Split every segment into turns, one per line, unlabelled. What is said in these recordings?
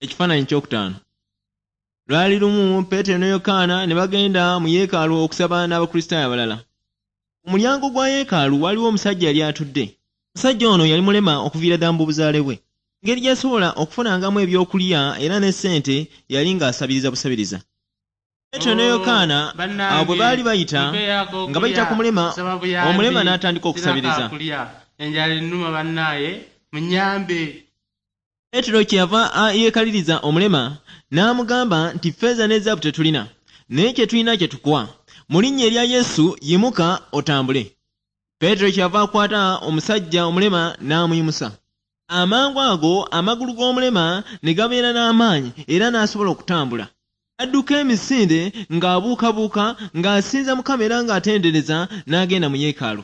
Ekifaananyi kyokutaano. Lwali lumu Peetero ne Yokaana ne bagenda mu yeekaalu okusaba n'Abakristaayo abalala. Ku mulyango gwa yeekaalu waliwo omusajja yali atudde. Omusajja ono yali mulema okuviira ddala mu buzaale bwe. Engeri gy'asobola okufunangamu ebyokulya era ne ssente yali ng'asabiriza busabiriza. Peetero ne
Oh,
Yokaana awo bwe
bannange,
baali bayita
mumpeeyo
nga bayita
ak'okulya,
ku mulema,
nsaba
omulema
buyambi,
n'atandika
sirina
okusabiriza.
kaakulya, enjala ennuma bannaaye, munnyambe.
Peetero kyeyava yeekaliriza omulema n'amugamba nti ffeeza ne zaabu tetulina, naye kye tulina kye tukuwa. Mu linnya erya Yesu yimuka otambule. Peetero kyeyava akwata omusajja omulema n'amuyimusa. Amangu ago amagulu g'omulema ne gabeera n'amaanyi era n'asobola okutambula. N'adduka emisinde ng'abuukabuuka ng'asinza Mukama era ng'atendereza n'agenda mu yeekaalu.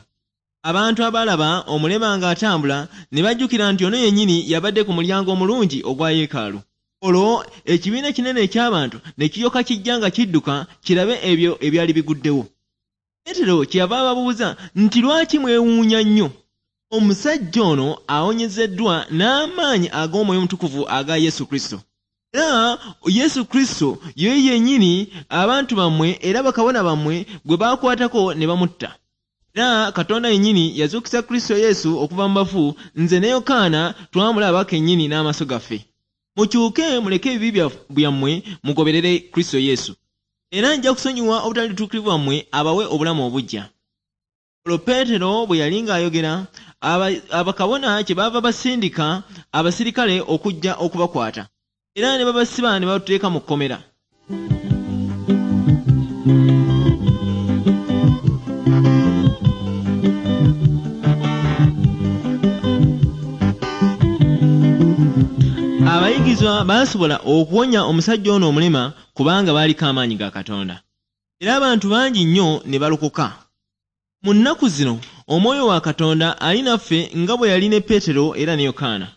Abantu abaalaba omulema ng'atambula ne bajjukira nti ono yennyini yabadde ku mulyango omulungi ogwa yeekaalu. Olwo ekibiina kinene eky'abantu ne kiryoka kijja nga kidduka kirabe ebyo ebyali biguddewo. Peetero kyeyava ababuuza nti lwaki mwewuunya nnyo? Omusajja ono awonyezeddwa n'amaanyi ag'Omwoyo Omutukuvu aga Yesu Kristo. Era Yesu Kristo ye yennyini abantu bammwe era bakabona bammwe gwe baakwatako ne bamutta. Era Katonda yennyini yazuukiza Kristo Yesu okuva mu bafu, nze ne Yokaana twamulaba kennyini n'amaaso gaffe. Mukyuke muleke ebibi byammwe mugoberere Kristo Yesu. Era nja kusonyiwa obutali butuukirivu bwammwe abawe obulamu obuggya. Olwo Peetero bwe yali ng'ayogera, abakabona kyebaava basindika abasirikale okujja okubakwata. Era ne babasiba ne babateeka mu kkomera. Abayigirizwa baasobola okuwonya omusajja ono omulema kubanga baaliko amaanyi ga Katonda. Era abantu bangi nnyo ne balokoka. Mu nnaku zino Omwoyo wa Katonda ali naffe nga bwe yali ne Peetero era ne Yokaana.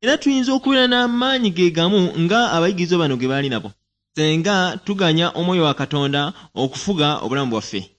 Era tuyinza okubeera n'amaanyi ge gamu nga abayigirizwa bano ge baali nabo, senga tuganya Omwoyo wa Katonda okufuga obulamu bwaffe.